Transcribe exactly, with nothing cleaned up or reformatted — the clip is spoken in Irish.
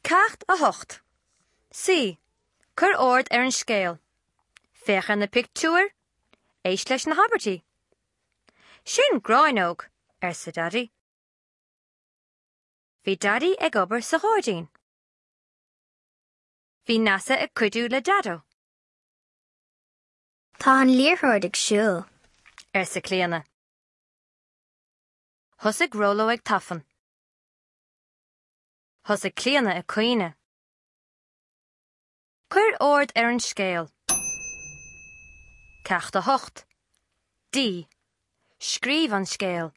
Ceacht a hocht. C. Cuir ord ar an scéal. Féach ar na pictiúir, éist leis na habairtí. Sin gráinneog, arsa Daidí. Bhí Daidí ag obair sa ghairdín. Bhí Neasa ag cuidiú le Daideo. Tá an liathróid ag siúl. arsa Clíona. Thosaigh Róló ag tafann. Thosaigh Clíona ag caoineadh. Cuir ord ar an scéal. Ceacht a hocht. D. Scríobh an scéal.